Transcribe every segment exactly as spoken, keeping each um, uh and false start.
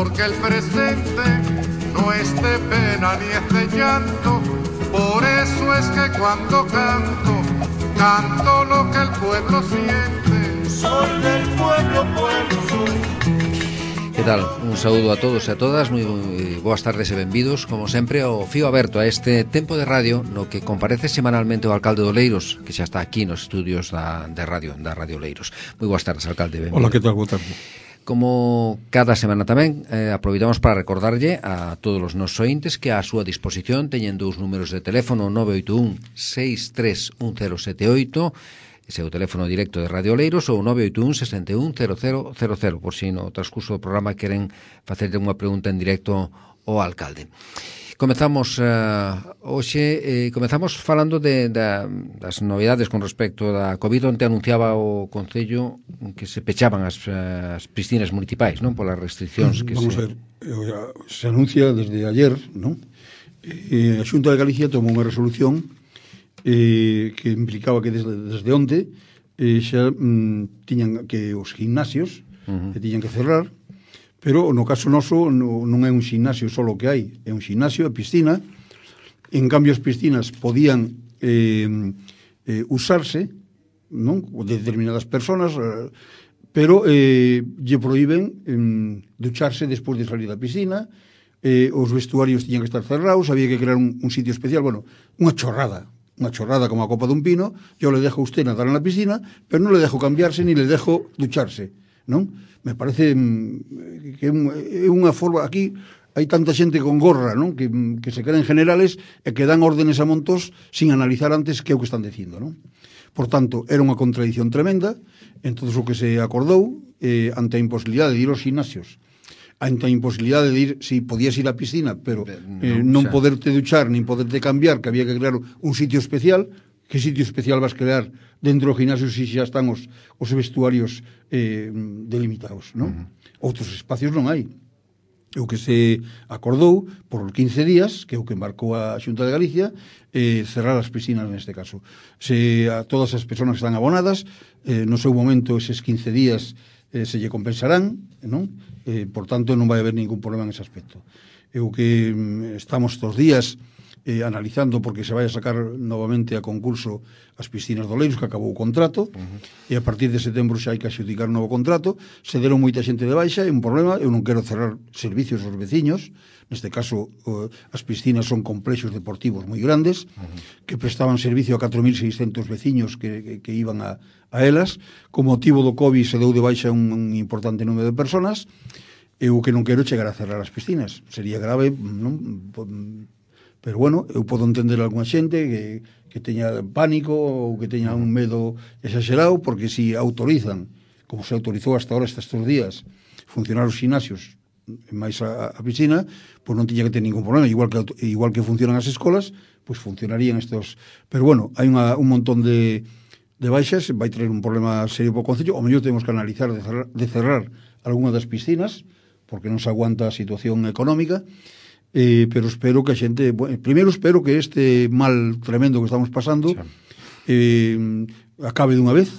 porque el presente no es de pena ni es de llanto. Por eso es que cuando canto, canto lo que el pueblo siente. Soy del pueblo, pueblo soy. Que tal? Un saúdo a todos e a todas, moi boas tardes e benvidos, como sempre, ao fío aberto a este tempo de radio no que comparece semanalmente o alcalde de Oleiros, que xa está aquí nos estudios da, de radio, da Radio Oleiros. Moi boas tardes, alcalde, benvido. Hola, que tal? Boa tarde. Como cada semana tamén, eh, aproveitamos para recordarlle a todos os nosos ointes que a súa disposición teñen dous números de teléfono, nove oito un seis tres un cero sete oito, ese é o teléfono directo de Radio Oleiros, ou nove oito un seis un cero cero cero cero, por si no transcurso do programa queren facerlle unha pregunta en directo ao alcalde. Comezamos uh, hoxe, eh, comezamos falando de, de, das novidades con respecto da COVID. Onte anunciaba o Concello que se pechaban as, as piscinas municipais, non? Polas restriccións que Vamos se... a ver, se anuncia desde ayer, non? Eh, a Xunta de Galicia tomou unha resolución eh, que implicaba que desde, desde onte eh, xa mm, tiñan que os gimnasios uh-huh. que tiñan que cerrar. Pero no caso noso no, non é un ximnasio só o que hai, é un ximnasio e piscina. En cambio as piscinas podían eh, eh, usarse, non, de determinadas personas, eh, pero eh, lle prohíben eh, ducharse despois de salir da piscina, eh, os vestuarios tiñan que estar cerrados, había que crear un, un sitio especial, bueno, unha chorrada, unha chorrada como a copa dun pino. Yo le dejo a usted nadar en la piscina, pero non le dejo cambiarse ni le dejo ducharse, non? Me parece que é unha forma, aquí hai tanta xente con gorra, non? Que, que se creen generales e que dan órdenes a montos sin analizar antes que é o que están dicindo, non? Por tanto, era unha contradición tremenda. Entón, o que se acordou eh, ante a imposibilidade de ir aos gimnasios, ante a imposibilidade de ir, si podías ir á piscina, pero eh, non poderte duchar, nin poderte cambiar, que había que crear un sitio especial. Que sitio especial vas crear dentro do gimnasio se xa están os, os vestuarios eh, delimitados, non? Uh-huh. Outros espacios non hai. O que se acordou por quince días, que é o que embarcou a Xunta de Galicia, eh, cerrar as piscinas neste caso. Se a todas as persoas que están abonadas, eh, no seu momento eses quince días eh, se lle compensarán, non? Eh, por tanto, non vai haber ningún problema en ese aspecto. É o que mm, estamos estos días Eh, analizando porque se vai a sacar novamente a concurso as piscinas de Oleiros, que acabou o contrato, uh-huh. e a partir de setembro xa hai que adxudicar un novo contrato. Se deron moita xente de baixa, é un problema. Eu non quero cerrar servicios aos veciños. Neste caso, uh, as piscinas son complexos deportivos moi grandes, uh-huh. que prestaban servicio a catro mil seiscentos veciños que, que, que iban a, a elas. Con motivo do COVID se deu de baixa un, un importante número de personas. Eu que non quero chegar a cerrar as piscinas. Sería grave, non? Pero bueno, eu podo entender algunha xente que, que teña pánico ou que teña un medo exagerado, porque si autorizan, como se autorizou hasta ahora estes días, funcionar os gimnasios máis a, a piscina, pois non tiña que ter ningún problema. Igual que, igual que funcionan as escolas, pois funcionarían estos. Pero bueno, hai unha, un montón de, de baixas, vai traer un problema serio para o Concello. O mellor temos que analizar de cerrar, de cerrar algunha das piscinas, porque non se aguanta a situación económica. Eh, pero espero que a xente, bueno, primeiro espero que este mal tremendo que estamos pasando sí. eh, acabe dunha vez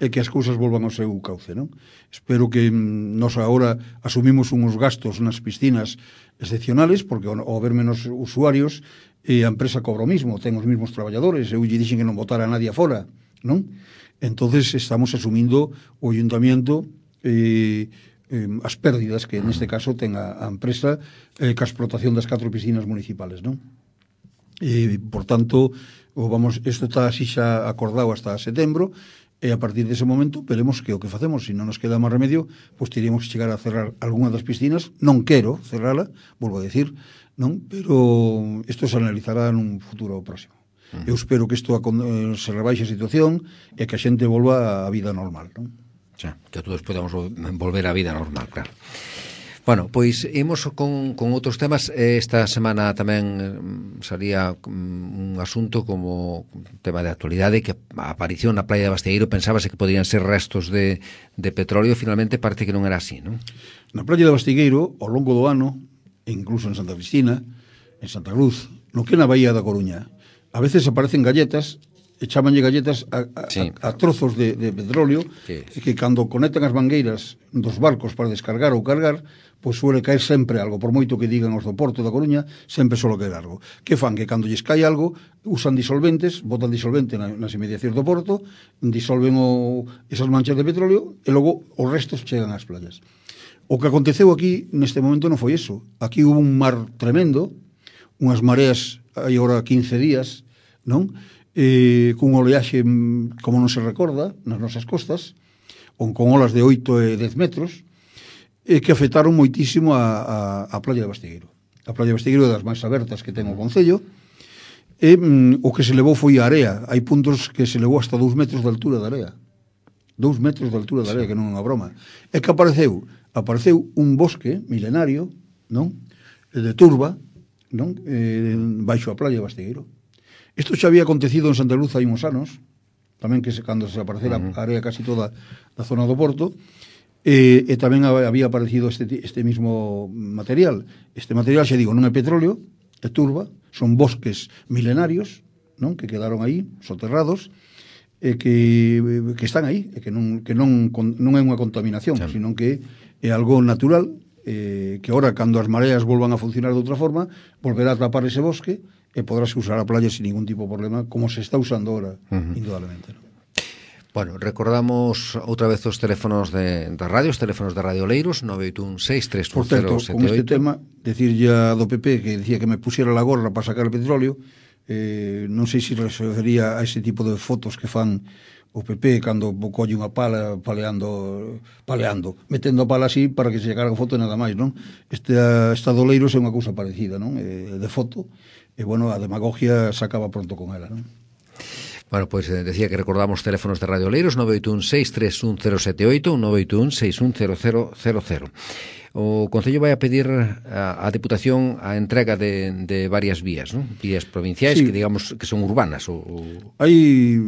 e que as cousas volvan ao seu cauce, non? Espero que mm, nos agora asumimos uns gastos nas piscinas excepcionales, porque ao, ao haber menos usuarios eh, a empresa cobra o mismo, ten os mismos traballadores. Eu lle dixen que non botara a nadie afora, non? Entonces estamos asumindo o ayuntamiento eh, eh, as pérdidas que neste caso ten a, a empresa eh, ca explotación das catro piscinas municipales, non? E, por tanto, o, vamos, isto está así xa acordado hasta setembro, e a partir dese momento veremos que o que facemos. Se non nos queda máis remedio, pois teríamos que chegar a cerrar algunha das piscinas. Non quero cerrala, volvo a decir, non? Pero isto se analizará nun futuro próximo. Uh-huh. Eu espero que isto eh, se rebaixe a situación e que a xente volva á vida normal, non? Xa, que todos podamos volver á vida normal, claro. Bueno, pois imos con, con outros temas. Esta semana tamén salía un asunto como tema de actualidade que apareció na praia de Bastigueiro. Pensábase que podían ser restos de, de petróleo, finalmente parece que non era así, non? Na praia de Bastigueiro, ao longo do ano, e incluso en Santa Cristina, en Santa Cruz, no que na Bahía da Coruña, a veces aparecen galletas chamanlle galletas a, a, sí. a, a trozos de, de petróleo sí. que cando conectan as mangueiras dos barcos para descargar ou cargar, pois suele caer sempre algo, por moito que digan os do Porto da Coruña, sempre solo caer algo. Que fan? Que cando lles cae algo, usan disolventes, botan disolvente na, nas inmediacións do Porto, disolven o, esas manchas de petróleo e logo os restos chegan ás playas. O que aconteceu aquí neste momento non foi eso. Aquí hubo un mar tremendo, unhas mareas hai agora quince días, non? Eh, cun oleaxe como non se recorda nas nosas costas, con, con olas de oito e dez metros, e que afectaron moitísimo a, a, a playa de Bastigueiro. A playa de Bastigueiro é das máis abertas que ten o Concello, e mm, o que se levou foi a area. Hai puntos que se levou hasta dous metros de altura da area. Dous metros de altura da area, que non é unha broma. E que apareceu? Apareceu un bosque milenario, non? De turba, non? Eh, baixo a playa de Bastigueiro. Isto xa había acontecido en Santa Luz hai uns anos, tamén que se, cando se aparecera uh -huh. a área casi toda da zona do Porto, e, e tamén había aparecido este, este mismo material. Este material, xa digo, non é petróleo, é turba, son bosques milenarios, non? Que quedaron aí, soterrados, e que, que están aí, e que non, que non, non é unha contaminación, sí. Sino que é algo natural, eh, que ahora, cando as mareas volvan a funcionar de outra forma, volverá a tapar ese bosque, e podrás usar a playa sin ningún tipo de problema, como se está usando ahora, uh -huh. indudablemente, ¿no? Bueno, recordamos outra vez os teléfonos de, de radio, os teléfonos de Radio Oleiros, nove oito un seis tres un cero sete oito. Por certo, con este tema, decir ya do P P que decía que me pusiera la gorra para sacar el petróleo, eh, non sei se refería a ese tipo de fotos que fan o P P cando colle unha pala paleando, paleando, metendo a pala así para que se cargue a foto e nada máis, non? Este Estado Oleiros é unha cousa parecida, non? Eh, de foto. E, bueno, a demagogia se acaba pronto con ela, non? Bueno, pois pues, eh, decía que recordamos teléfonos de Radio Oleiros, nove oito un seis tres un cero sete oito, nove oito un seis un cero cero cero cero. O Concello vai a pedir a, a Deputación a entrega de, de varias vías, non? Vías provinciais, sí. Que digamos que son urbanas. O, o... Hai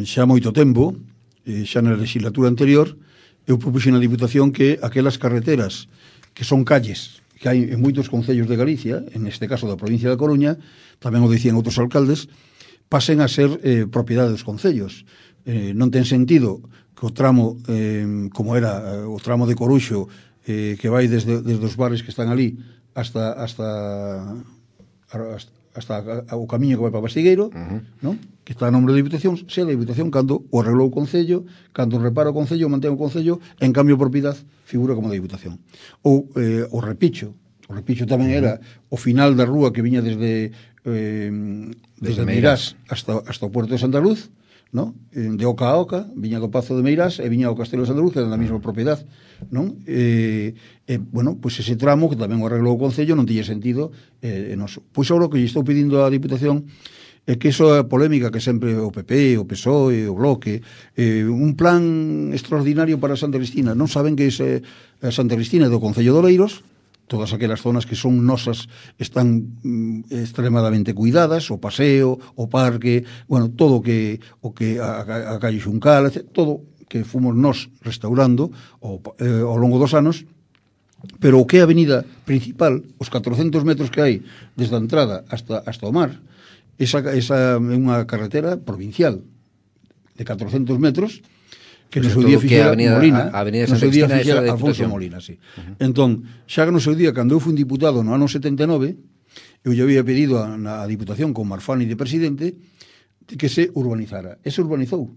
xa moito tempo, xa na legislatura anterior, eu propuxen a Diputación que aquelas carreteras que son calles que hai en moitos concellos de Galicia, en este caso da provincia da Coruña, tamén o dicían outros alcaldes, pasen a ser eh, propiedade dos concellos. Eh, non ten sentido que o tramo, eh, como era o tramo de Coruxo, eh, que vai desde, desde os bares que están ali hasta hasta, hasta, hasta o camiño que vai para Bastigueiro, uh -huh. non? Que está a nombre da Diputación, sea da Diputación cando o arreglou o Concello, cando o repara o Concello, mantén o Concello, en cambio a propiedade figura como da Diputación. Ou eh, o Repicho, o Repicho tamén era o final da rúa que viña desde eh, desde, desde Meirás hasta, hasta o Puerto de Santa Luz, non? De oca a oca, viña do Pazo de Meirás e viña ao Castelo de Santa Luz, que era da mesma propiedade, non? E, e bueno, pois pues ese tramo que tamén o arreglou o Concello non tiña sentido eh, noso. Pois agora o que lle estou pedindo á Diputación é que iso é polémica que sempre o P P, o P S O E, o Bloque, eh, un plan extraordinario para Santa Cristina. Non saben que ese, a Santa Cristina é do Concello de Oleiros, todas aquelas zonas que son nosas están mm, extremadamente cuidadas, o paseo, o parque, bueno, todo o que o que a, a, a calle Xuncal, todo que fomos nós restaurando o, eh, ao longo dos anos, pero o que é a avenida principal, os catrocentos metros que hai desde a entrada hasta, hasta o mar, esa, esa é unha carretera provincial de catrocentos metros, que no seu día fixera Molina, a Avenida no Santa seu día Cristina fixera Alfonso Molina, sí. Uh -huh. Entón, xa que no seu día, cando eu fui diputado no ano setenta e nove, eu lle había pedido a, a Diputación con Marfani de presidente que se urbanizara. E se urbanizou.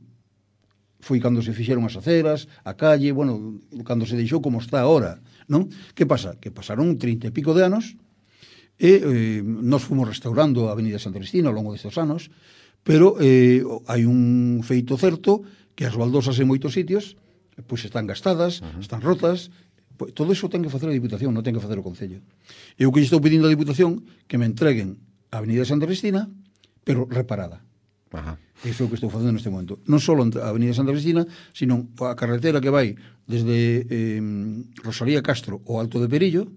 Foi cando se fixeron as aceras, a calle, bueno, cando se deixou como está ahora, non? Que pasa? Que pasaron trinta e pico de anos e eh, nos fomos restaurando a Avenida Santa Cristina ao longo destes anos, pero eh, hai un feito certo que as baldosas en moitos sitios pois están gastadas, uh -huh. están rotas, pois, todo iso ten que facer a Diputación, non ten que facer o Concello. E o que estou pedindo a Diputación que me entreguen a Avenida Santa Cristina, pero reparada. Ajá. Iso é o que estou facendo neste momento. Non só a Avenida Santa Cristina, sino a carretera que vai desde eh, Rosalía Castro ao Alto de Perillo,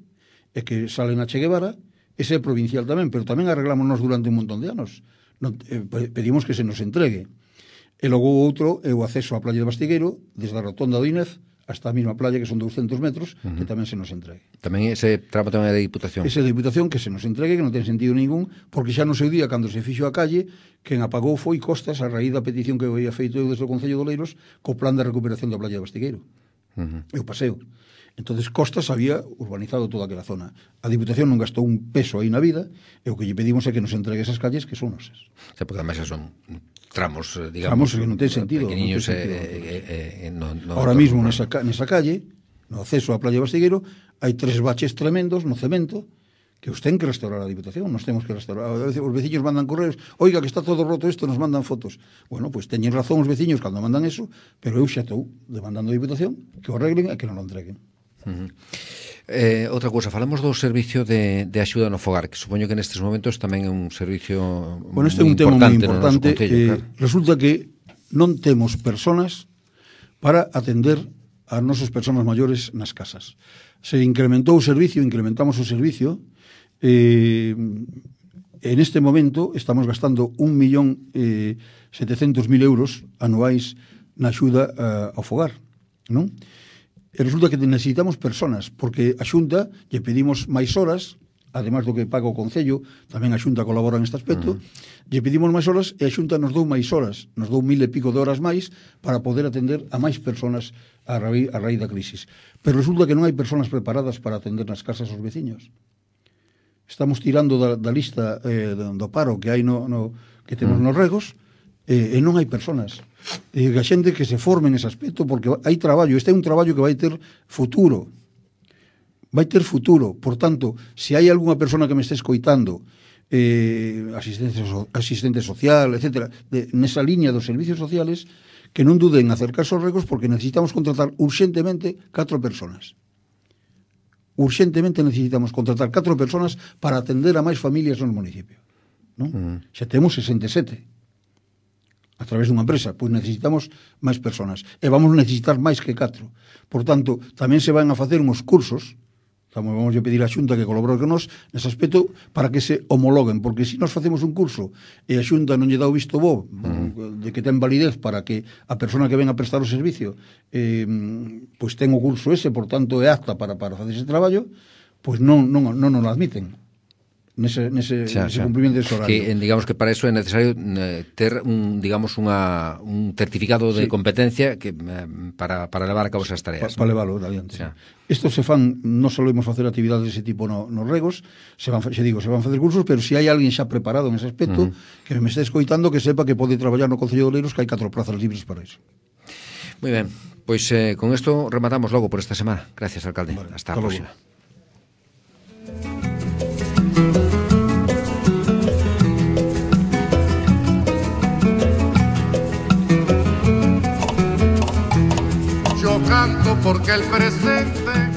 e que sale na Che Guevara. Ese é provincial tamén, pero tamén arreglámonos durante un montón de anos. Non, eh, pedimos que se nos entregue. E logo outro é o acceso á playa de Bastigueiro, desde a rotonda do Inés hasta a mesma playa, que son douscentos metros, uh -huh. que tamén se nos entregue. Tamén ese tramo tamén é de Diputación? Ese de Diputación, que se nos entregue, que non ten sentido ningún, porque xa no seu día, cando se fixo a calle, quen apagou foi Costas, a raíz da petición que había feito eu desde o Concello de Oleiros, co plan de recuperación da playa de Bastigueiro. Uh -huh. E o paseo. Entonces Costas había urbanizado toda aquela zona. A Diputación non gastou un peso aí na vida, e o que lle pedimos é que nos entregue esas calles que son nosas. Sí, porque además son tramos, digamos, tramos que non ten sentido, pequeniños non ten sentido. Eh, eh, eh, no, no, ahora mismo nesa, nesa calle, no acceso á playa de Bastigueiro, hai tres baches tremendos no cemento que os ten que restaurar a Diputación, nos temos que restaurar. A veces os veciños mandan correos, oiga, que está todo roto isto, nos mandan fotos. Bueno, pois pues, teñen razón os veciños cando mandan eso, pero eu xa estou demandando a Diputación que o arreglen e que non o entreguen. Uh -huh. Eh, outra cousa, falamos do servicio de, de axuda no fogar, que supoño que nestes momentos tamén é un servicio bueno, este é un tema moi importante. Concello, eh, claro. Resulta que non temos personas para atender as nosas persoas maiores nas casas. Se incrementou o servicio, incrementamos o servicio, eh, en este momento estamos gastando un millón eh, setecentos mil euros anuais na axuda uh, ao fogar, non? E resulta que necesitamos personas, porque a Xunta lle pedimos máis horas, además do que paga o Concello, tamén a Xunta colabora neste aspecto, uh -huh. lle pedimos máis horas e a Xunta nos dou máis horas, nos dou mil e pico de horas máis para poder atender a máis personas a raíz, a raíz da crisis. Pero resulta que non hai personas preparadas para atender nas casas aos veciños. Estamos tirando da, da lista eh, do paro que hai no, no que temos uh -huh. nos regos, e, e non hai personas. E a xente que se forme nese aspecto, porque hai traballo, este é un traballo que vai ter futuro, vai ter futuro. Por tanto, se hai algunha persona que me este escoitando, eh, asistente, asistente social, etcétera, de, nesa liña dos servicios sociales, que non duden en acercarse aos regos, porque necesitamos contratar urxentemente catro personas. Urxentemente necesitamos contratar catro personas para atender a máis familias no municipio, non? Uh -huh. Xa temos sesenta e sete a través dunha empresa, pois necesitamos máis personas e vamos necesitar máis que catro. Por tanto, tamén se van a facer uns cursos, vamos a pedir á Xunta que colabore con nós nese aspecto para que se homologuen, porque se nós facemos un curso e a Xunta non lle dá o visto bo uh-huh. de que ten validez para que a persona que ven a prestar o servicio eh, pois ten o curso ese, por tanto é apta para, para facer ese traballo, pois non, non, non nos admiten nese, nese, xa, nese xa. cumprimento dese horario. Que, digamos que para eso é necesario eh, ter un, digamos, unha, un certificado de sí. competencia que, eh, para, para levar a cabo esas tareas. Pa, para levarlo adiante. Estos se fan, non solemos facer actividades dese tipo no, nos regos, se van, xe digo, se van facer cursos, pero se hai alguén xa preparado nese aspecto, uh -huh. que me este escoitando, que sepa que pode traballar no Concello de Oleiros, que hai catro plazas libres para eso. Moi ben, pois eh, con isto rematamos logo por esta semana. Gracias, alcalde. Vale, hasta, hasta a próxima. Luego. Canto porque el presente